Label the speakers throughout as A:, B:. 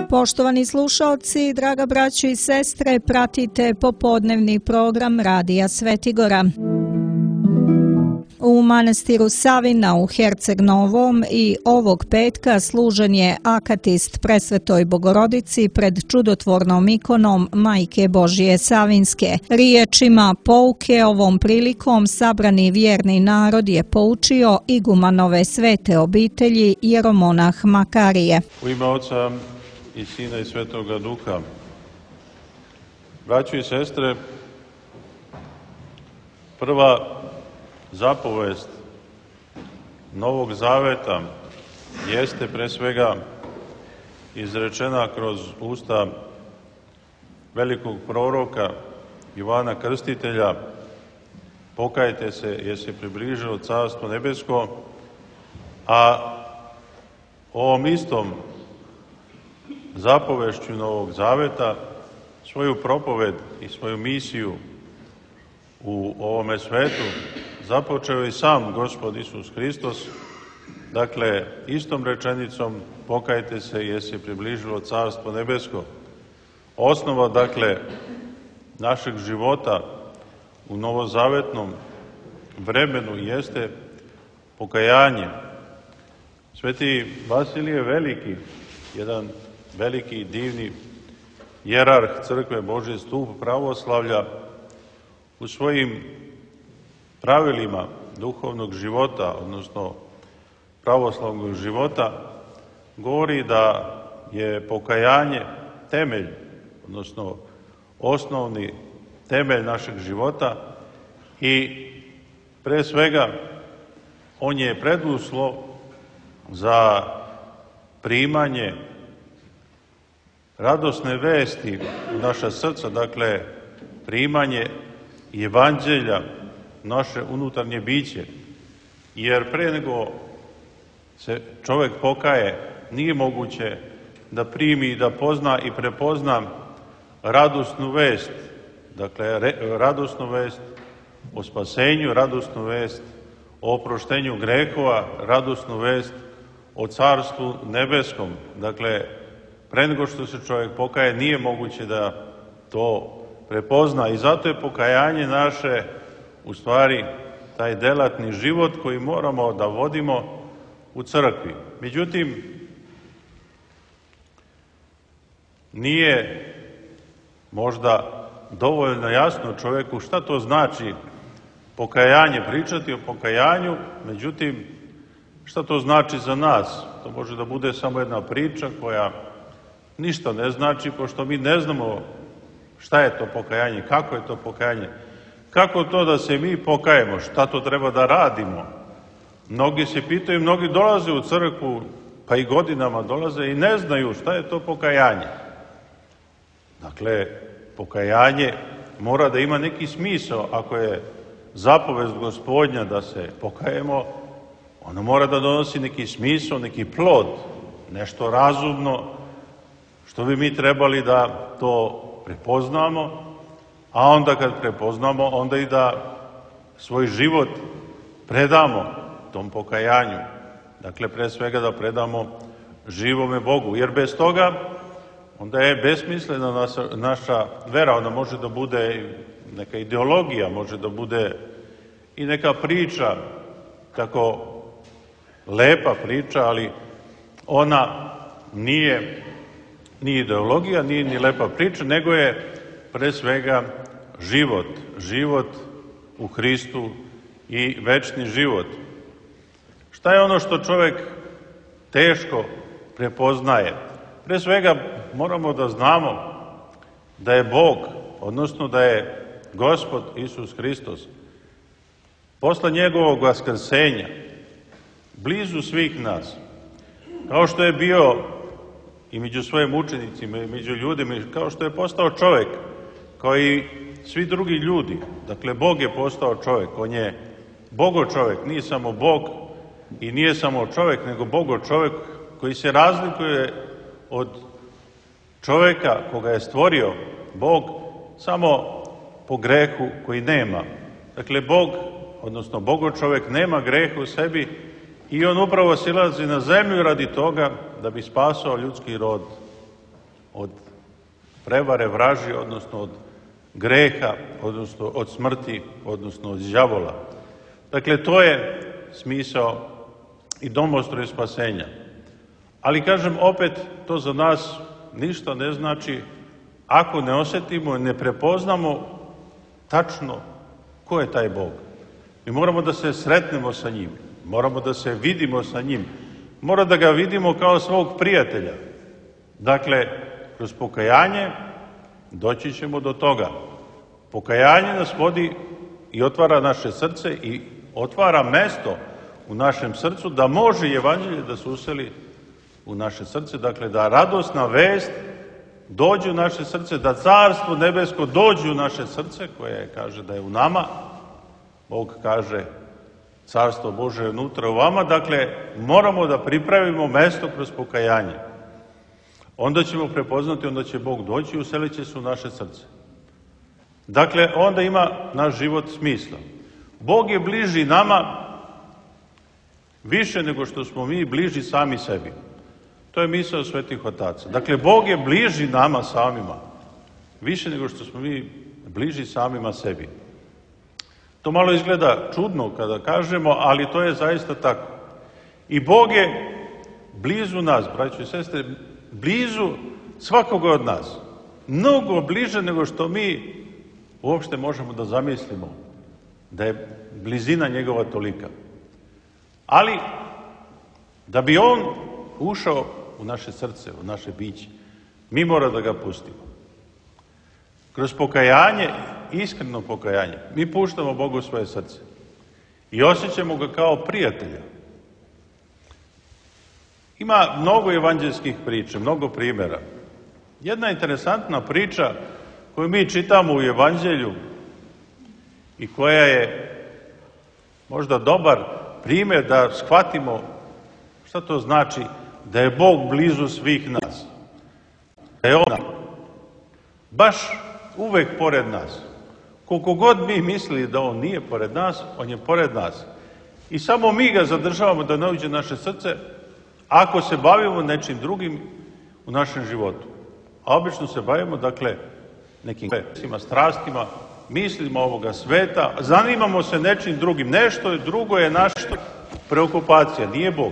A: Poštovani slušaoci, draga braćo i sestre, pratite popodnevni program Radija Svetigora. U manastiru Savina u Herceg Novom i ovog petka služen je akatist Presvetoj Bogorodici pred čudotvornom ikonom Majke Božije Savinske. Riječima pouke ovom prilikom sabrani vjerni narod je poučio igumanove svete obitelji jeromonah Makarije.
B: U ime Oca i Sina i Svetoga Duha. Braćo i sestre, prva zapovest Novog Zaveta jeste pre svega izrečena kroz usta velikog proroka Ivana Krstitelja: pokajte se jer se približilo Carstvo nebesko, a ovom istom zapovešću Novog Zaveta svoju propoved i svoju misiju u ovome svetu započeo i sam Gospod Isus Hristos, dakle, istom rečenicom pokajte se jer se približilo Carstvo nebesko. Osnova, dakle, našeg života u novozavetnom vremenu jeste pokajanje. Sveti Vasilije Veliki, jedan veliki divni jerarh crkve Božji stup pravoslavlja, u svojim pravilima duhovnog života, odnosno pravoslavnog života, govori da je pokajanje temelj, odnosno osnovni temelj našeg života i pre svega on je preduslov za primanje radosne vesti u naša srca, dakle, primanje evanđelja naše unutarnje biće. Jer pre nego se čovjek pokaje, nije moguće da primi, da pozna i prepozna radosnu vest, dakle, radosnu vest o spasenju, radosnu vest o oproštenju grehova, radosnu vest o Carstvu nebeskom. Dakle, pre nego što se čovjek pokaje, nije moguće da to prepozna i zato je pokajanje naše u stvari taj delatni život koji moramo da vodimo u crkvi. Međutim, nije možda dovoljno jasno čovjeku šta to znači pokajanje, pričati o pokajanju, međutim, šta to znači za nas? To može da bude samo jedna priča koja ništa ne znači, pošto mi ne znamo šta je to pokajanje, kako je to pokajanje, kako to da se mi pokajemo, šta to treba da radimo. Mnogi se pitaju, mnogi dolaze u crkvu, pa i godinama dolaze i ne znaju šta je to pokajanje. Dakle, pokajanje mora da ima neki smisao. Ako je zapovest Gospodnja da se pokajemo, ono mora da donosi neki smisao, neki plod, nešto razumno, što bi mi trebali da to prepoznamo, a onda kad prepoznamo, onda i da svoj život predamo tom pokajanju. Dakle, pre svega da predamo živome Bogu, jer bez toga onda je besmislena naša vera. Ona može da bude neka ideologija, može da bude i neka priča, tako lepa priča, ali ona nije ni ideologija, nije ni lepa priča, nego je pre svega život u Hristu i večni život. Šta je ono što čovjek teško prepoznaje? Pre svega moramo da znamo da je Bog, odnosno da je Gospod Isus Hristos, posle njegovog vaskrsenja, blizu svih nas, kao što je bio i među svojim učenicima i među ljudima, kao što je postao čovjek, kao i svi drugi ljudi. Dakle, Bog je postao čovjek, on je Bogo čovjek, nije samo Bog i nije samo čovjek, nego Bogo čovjek koji se razlikuje od čovjeka koga je stvorio Bog samo po grehu koji nema. Dakle, Bog, odnosno Bogo čovjek nema greha u sebi I on upravo silazi na zemlju radi toga da bi spasao ljudski rod od prevare vraži, odnosno od greha, odnosno od smrti, odnosno od đavola. Dakle, to je smisao i domostroj spasenja. Ali, kažem, opet, to za nas ništa ne znači ako ne osjetimo i ne prepoznamo tačno ko je taj Bog. Mi moramo da se sretnemo sa njim, moramo da se vidimo sa njim, moramo da ga vidimo kao svog prijatelja. Dakle, kroz pokajanje doći ćemo do toga. Pokajanje nas vodi i otvara naše srce i otvara mesto u našem srcu da može evanđelje da se useli u naše srce, dakle da radosna vest dođe u naše srce, da carstvo nebesko dođe u naše srce, koje kaže da je u nama. Bog kaže carstvo Bože je unutra u vama, dakle moramo da pripravimo mesto kroz pokajanje. Onda ćemo prepoznati, onda će Bog doći i uselit će se u naše srce. Dakle, onda ima naš život smisla. Bog je bliži nama više nego što smo mi bliži sami sebi. To je misao svetih otaca. Dakle, Bog je bliži nama samima, više nego što smo mi bliži samima sebi. To malo izgleda čudno kada kažemo, ali to je zaista tako. I Bog je blizu nas, braćo i sestre, blizu svakoga od nas. Mnogo bliže nego što mi uopšte možemo da zamislimo, da je blizina njegova tolika. Ali, da bi on ušao u naše srce, u naše biće, mi mora da ga pustimo. Kroz pokajanje, iskreno pokajanje, mi puštamo Bogu svoje srce i osjećamo ga kao prijatelja. Ima mnogo evanđelskih priča, mnogo primjera. Jedna interesantna priča koju mi čitamo u evanđelju i koja je možda dobar primjer da shvatimo šta to znači da je Bog blizu svih nas. Da je on baš uvek pored nas. Koliko god mi mislili da on nije pored nas, on je pored nas. I samo mi ga zadržavamo da ne uđe naše srce ako se bavimo nečim drugim u našem životu. A obično se bavimo, dakle, nekim strastima, mislimo ovoga sveta, zanimamo se nečim drugim. Nešto drugo je naša preokupacija, nije Bog.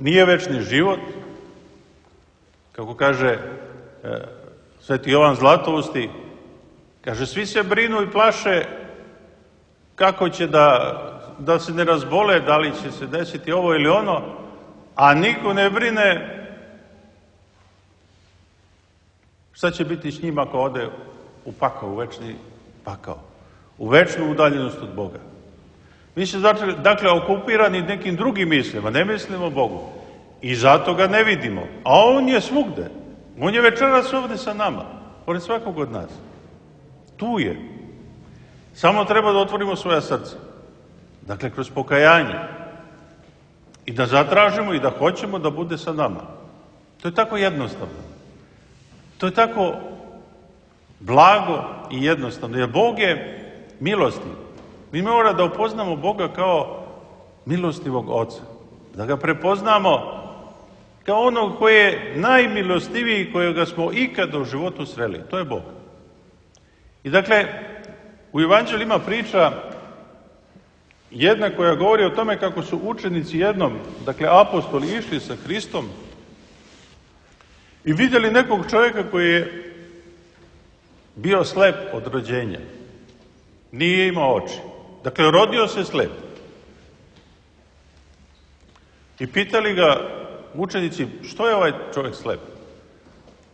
B: Nije večni život, kako kaže sveti Jovan Zlatousti, kaže, svi se brinu i plaše kako će da se ne razbole, da li će se desiti ovo ili ono, a niko ne brine šta će biti s njim ako ode u pakao, u večni pakao, u večnu udaljenost od Boga. Mi se dakle okupirani nekim drugim mislima, ne mislimo o Bogu i zato ga ne vidimo. A on je svugde. On je večeras ovde sa nama, pored svakog od nas. Tu je. Samo treba da otvorimo svoja srca. Dakle, kroz pokajanje. I da zatražimo i da hoćemo da bude sa nama. To je tako jednostavno. To je tako blago i jednostavno. Jer Bog je milostiv. Mi moramo da upoznamo Boga kao milostivog Oca. Da ga prepoznamo kao onog koji je najmilostiviji kojega smo ikada u životu sreli. To je Bog. I dakle, u Evanđelju ima priča jedna koja govori o tome kako su učenici jednom, dakle apostoli, išli sa Hristom i vidjeli nekog čovjeka koji je bio slep od rođenja. Nije imao oči. Dakle, rodio se slep. I pitali ga učenici, što je ovaj čovjek slep?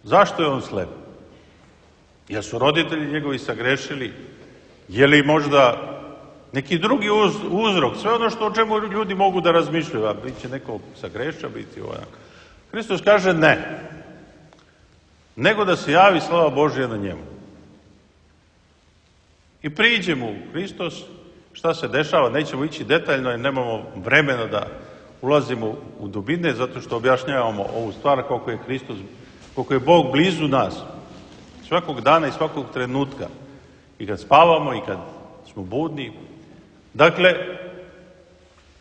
B: Zašto je on slep? Jer su roditelji njegovi sagrešili? Je li možda neki drugi uzrok? Sve ono o čemu ljudi mogu da razmišljaju, a bit će neko sagreša, biti ovak. Hristos kaže ne. Nego da se javi slava Božja na njemu. I priđe mu Hristos, šta se dešava, nećemo ići detaljno jer nemamo vremena da ulazimo u dubine, zato što objašnjavamo ovu stvar koliko je Hristos, koliko je Bog blizu nas, svakog dana i svakog trenutka, i kad spavamo i kad smo budni. Dakle,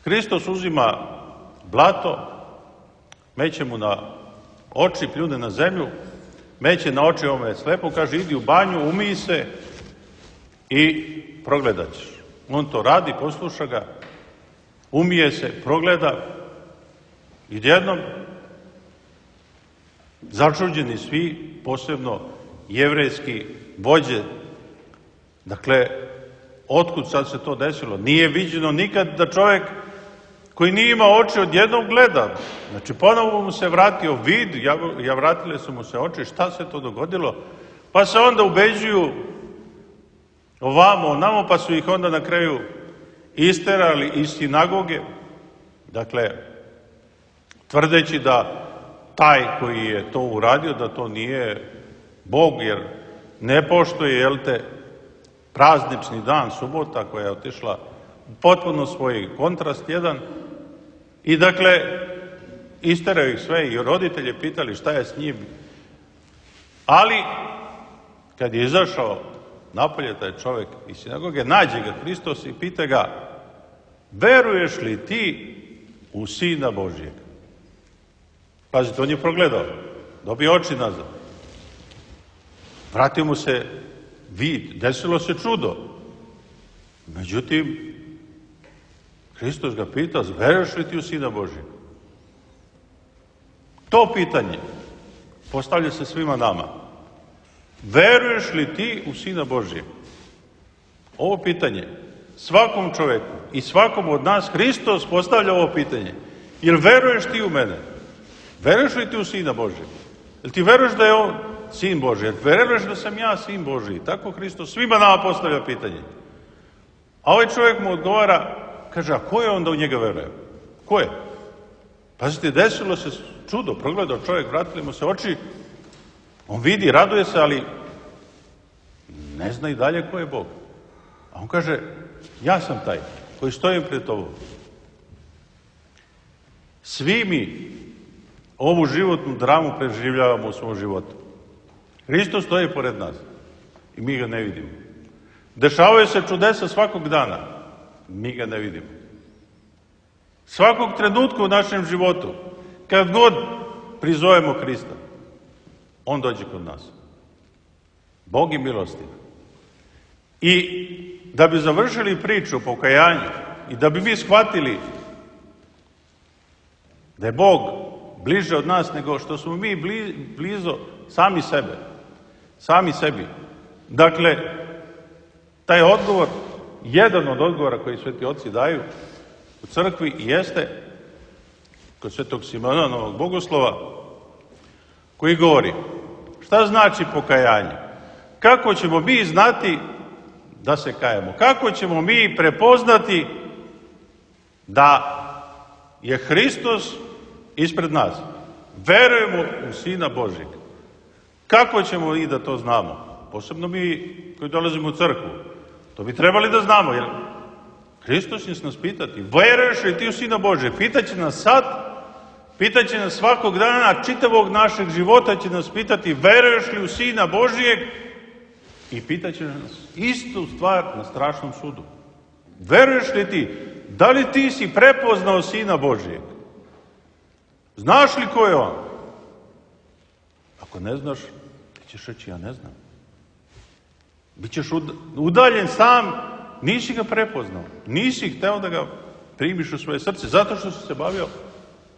B: Hristos uzima blato, meće mu na oči, pljune na zemlju, meće na oči ovome slepo, kaže idi u banju, umij se i progledat ćeš. On to radi, posluša ga, umije se, progleda i jednom začuđeni svi, posebno jevrejski vođe. Dakle, otkud sad se to desilo? Nije viđeno nikad da čovjek koji nije imao oči odjednom gleda. Znači, ponovo mu se vratio vid, vratile su mu se oči, šta se to dogodilo? Pa se onda ubeđuju ovamo, onamo, pa su ih onda na kraju isterali iz sinagoge. Dakle, tvrdeći da taj koji je to uradio, da to nije Bog, jer ne poštuje, jel te, praznični dan, subota, koja je otišla potpuno svoj kontrast jedan. I dakle, isteraju ih sve i roditelje pitali šta je s njim. Ali, kad je izašao napolje taj čovjek iz sinagoge, nađe ga Hristos i pita ga, veruješ li ti u Sina Božijeg? Pazite, on je progledao, dobio oči nazad. Vratio mu se vid, desilo se čudo. Međutim, Hristos ga pita, veruješ li ti u Sina Božijeg? To pitanje postavlja se svima nama. Veruješ li ti u Sina Božijeg? Ovo pitanje svakom čovjeku i svakom od nas Hristos postavlja ovo pitanje. Jel veruješ ti u mene? Veruješ li ti u Sina Božijeg? Jel ti veruješ da je on Sin Božji? Jel veruješ da sam ja Sin Božji? Tako Hristos svima nama postavlja pitanje. A ovaj čovjek mu odgovara, kaže, a ko je onda u njega veruje? Ko je? Pazite, desilo se čudo, progledao čovjek, vratili mu se oči, on vidi, raduje se, ali ne zna i dalje ko je Bog. A on kaže, ja sam taj koji stojim pred tobom. Svi mi ovu životnu dramu preživljavamo u svom životu. Hristos stoji pored nas i mi ga ne vidimo. Dešavaju se čudesa svakog dana, mi ga ne vidimo. Svakog trenutka u našem životu, kad god prizovemo Hrista, on dođe kod nas. Bog je milostiv. I da bi završili priču o pokajanju i da bi mi shvatili da je Bog bliže od nas nego što smo mi blizo sami sebi. Dakle, taj odgovor, jedan od odgovora koji sveti oci daju u crkvi jeste kod svetog Simona Novog Bogoslova, koji govori šta znači pokajanje, kako ćemo mi znati da se kajemo, kako ćemo mi prepoznati da je Hristos ispred nas, verujemo u Sina Božjeg. Kako ćemo i da to znamo? Posebno mi koji dolazimo u crkvu. To bi trebali da znamo, jer Hristos će nas pitati, veruješ li ti u Sina Božjeg? Pitaće nas sad, pitaće nas svakog dana, čitavog našeg života će nas pitati, veruješ li u Sina Božjeg? I pitaće nas istu stvar na strašnom sudu. Veruješ li ti? Da li ti si prepoznao Sina Božjeg? Znaš li ko je on? Ako ne znaš, ti ćeš reći, ja ne znam. Bićeš udaljen sam, nisi ga prepoznao. Nisi hteo da ga primiš u svoje srce, zato što si se bavio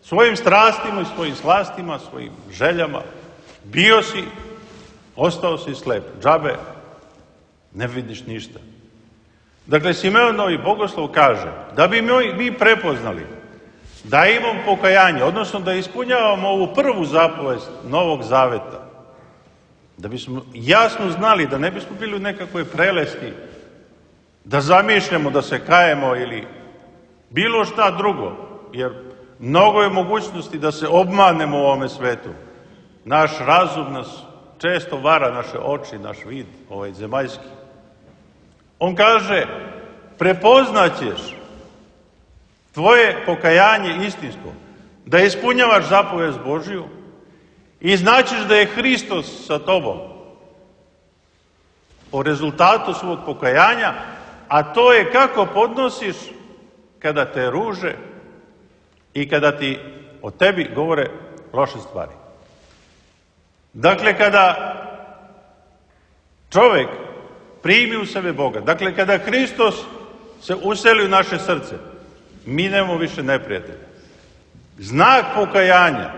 B: svojim strastima i svojim slastima, svojim željama. Bio si, ostao si slep. Džabe, ne vidiš ništa. Dakle, Simeon Novi Bogoslov kaže da bi mi prepoznali da imamo pokajanje, odnosno da ispunjavamo ovu prvu zapovest Novog Zaveta, da bismo jasno znali, da ne bismo bili u nekakvoj prelesti, da zamišljamo da se kajemo ili bilo šta drugo, jer mnogo je mogućnosti da se obmanemo u ovome svetu. Naš razum nas često vara, naše oči, naš vid, ovaj zemaljski. On kaže, prepoznaćeš tvoje pokajanje istinsko, da ispunjavaš zapovest Božiju i znaćeš da je Hristos sa tobom po rezultatu svog pokajanja, a to je kako podnosiš kada te ruže i kada ti o tebi govore loše stvari. Dakle, kada čovjek primi u sebe Boga, dakle, kada Hristos se useli u naše srce, mi nemamo više neprijatelja. Znak pokajanja,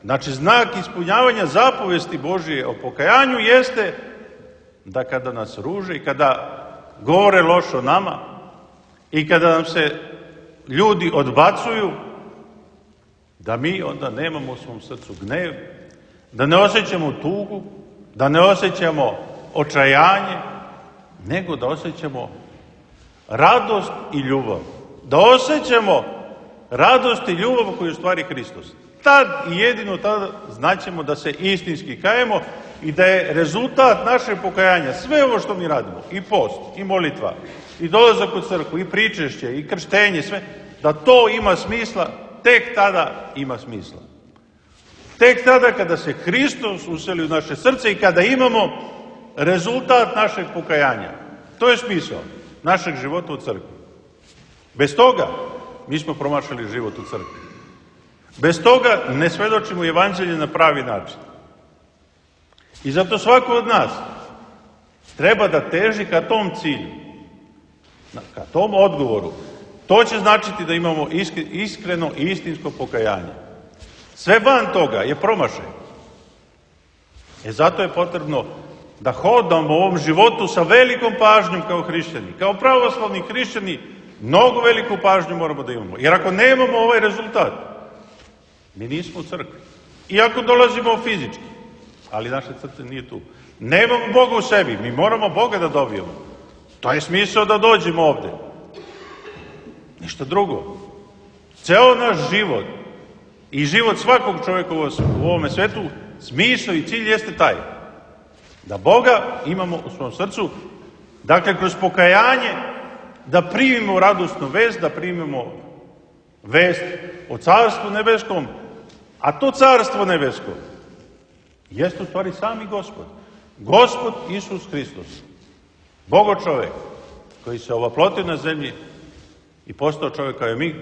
B: znači znak ispunjavanja zapovesti Božije o pokajanju jeste da kada nas ruže i kada govore loše o nama i kada nam se ljudi odbacuju, da mi onda nemamo u svom srcu gnev, da ne osjećamo tugu, da ne osjećamo očajanje, nego da osjećamo radost i ljubav. Da osjećamo radost i ljubav koju je u stvari Hristos. Tad i jedino tada znaćemo da se istinski kajemo i da je rezultat našeg pokajanja sve ovo što mi radimo, i post, i molitva, i dolazak u crkvu, i pričešće, i krštenje, sve, da to ima smisla, tek tada ima smisla. Tek tada kada se Hristos useli u naše srce i kada imamo rezultat našeg pokajanja. To je smisao našeg života u crkvi. Bez toga mi smo promašili život u crkvi. Bez toga ne svedočimo evanđelje na pravi način. I zato svako od nas treba da teži ka tom cilju, ka tom odgovoru. To će značiti da imamo iskreno i istinsko pokajanje. Sve van toga je promašaj. Zato je potrebno da hodamo u ovom životu sa velikom pažnjom kao hrišćani. Kao pravoslavni hrišćani mnogo veliku pažnju moramo da imamo. Jer ako nemamo ovaj rezultat, mi nismo u crkvi. Iako dolazimo fizički, ali naše srce nije tu. Nemamo Boga u sebi, mi moramo Boga da dobijemo. To je smisao da dođemo ovde. Ništa drugo. Ceo naš život i život svakog čovjeka u ovome svetu, smisao i cilj jeste taj. Da Boga imamo u svom srcu, dakle kroz pokajanje, da primimo radosnu vest, da primimo vest o Carstvu nebeskom, a to Carstvo nebesko jeste u stvari sami Gospod. Gospod Isus Hristos, Bogo čovjek, koji se ovaplotio na zemlji i postao čovjek kao i mi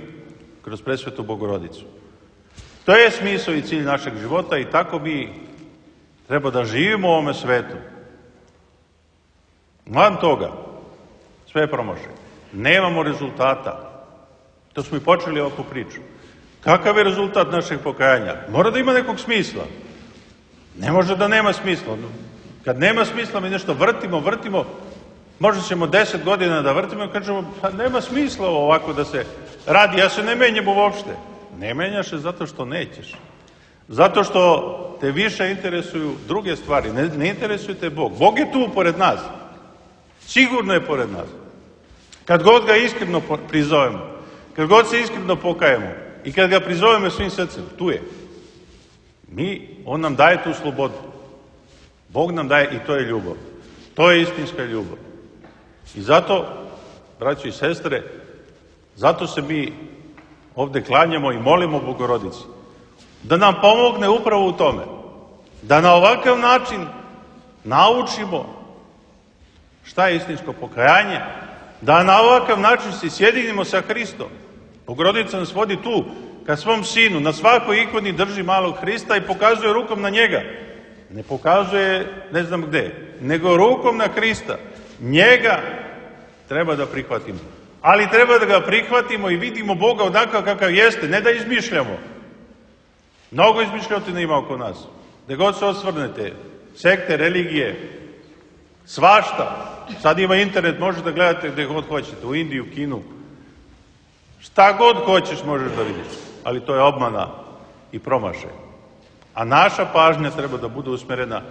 B: kroz presvetu Bogorodicu. To je smisao i cilj našeg života i tako mi treba da živimo u ovome svetu. Van toga, sve je promašaj. Nemamo rezultata. To smo i počeli ovakvu priču. Kakav je rezultat našeg pokajanja? Mora da ima nekog smisla. Ne može da nema smisla. Kad nema smisla, mi nešto vrtimo, možda ćemo 10 godina da vrtimo i kažemo, pa nema smisla ovako da se radi, ja se ne menjam uopšte. Ne menjaš se zato što nećeš. Zato što te više interesuju druge stvari, ne interesuje te Bog. Bog je tu pored nas. Sigurno je pored nas. Kad god ga iskreno prizovemo, kad god se iskreno pokajemo i kad ga prizovemo svim srcem, tu je. On nam daje tu slobodu. Bog nam daje i to je ljubav. To je istinska ljubav. I zato, braćo i sestre, zato se mi ovde klanjamo i molimo Bogorodici da nam pomogne upravo u tome. Da na ovakav način naučimo šta je istinsko pokajanje, da na ovakav način se sjedinimo sa Hristom. Bogorodica nas vodi tu, ka svom sinu, na svakoj ikoni drži malog Hrista i pokazuje rukom na njega. Ne pokazuje ne znam gde, nego rukom na Hrista. Njega treba da prihvatimo. Ali treba da ga prihvatimo i vidimo Boga onakav kakav jeste, ne da izmišljamo. Mnogo izmišljotina ima oko nas. Gde god se osvrnete, sekte, religije, svašta. Sad ima internet, možete da gledate gde god hoćete, u Indiju, Kinu. Šta god hoćeš možeš da vidiš, ali to je obmana i promašaj. A naša pažnja treba da bude usmerena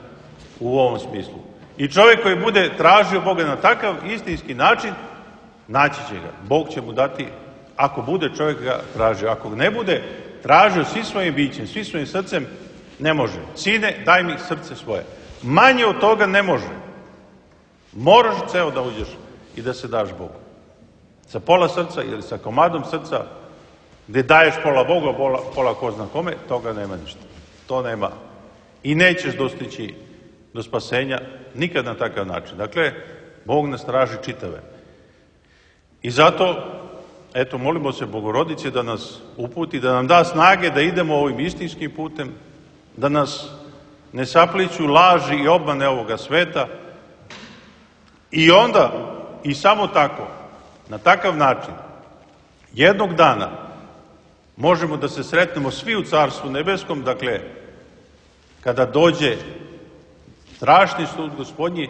B: u ovom smislu. I čovjek koji bude tražio Boga na takav istinski način, naći će ga. Bog će mu dati, ako bude čovjek ga tražio. Ako ne bude tražio svi svojim bićem, svi svojim srcem, ne može. Sine, daj mi srce svoje. Manje od toga ne može. Moraš ceo da uđeš i da se daš Bogu. Sa pola srca ili sa komadom srca, gde daješ pola Boga, pola ko zna kome, toga nema ništa. To nema. I nećeš dostići do spasenja nikad na takav način. Dakle, Bog nas traži čitave. I zato eto, molimo se Bogorodice da nas uputi, da nam da snage da idemo ovim istinskim putem, da nas ne sapliću laži i obmane ovoga sveta i onda, i samo tako, na takav način, jednog dana možemo da se sretnemo svi u Carstvu nebeskom, dakle, kada dođe strašni sud Gospodnji,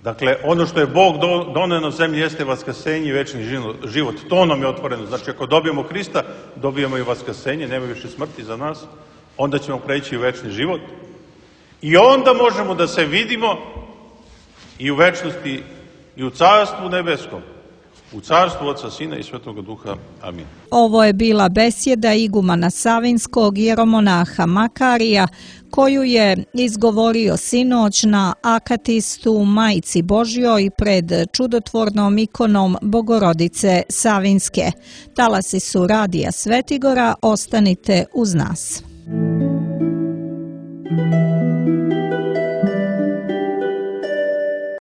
B: dakle, ono što je Bog doneo na zemlji jeste vaskrsenje i večni život. To nam je otvoreno. Znači, ako dobijemo Hrista, dobijemo i vaskrsenje, nema više smrti za nas, onda ćemo preći u večni život. I onda možemo da se vidimo i u večnosti i u Carstvu nebeskom, u Carstvu Oca, Sina i Svetoga Duha. Amin.
A: Ovo je bila besjeda igumana Savinskog jeromonaha Makarija, koju je izgovorio sinoć na akatistu Majci Božjoj pred čudotvornom ikonom Bogorodice Savinske. Talasi su Radija Svetigora, ostanite uz nas.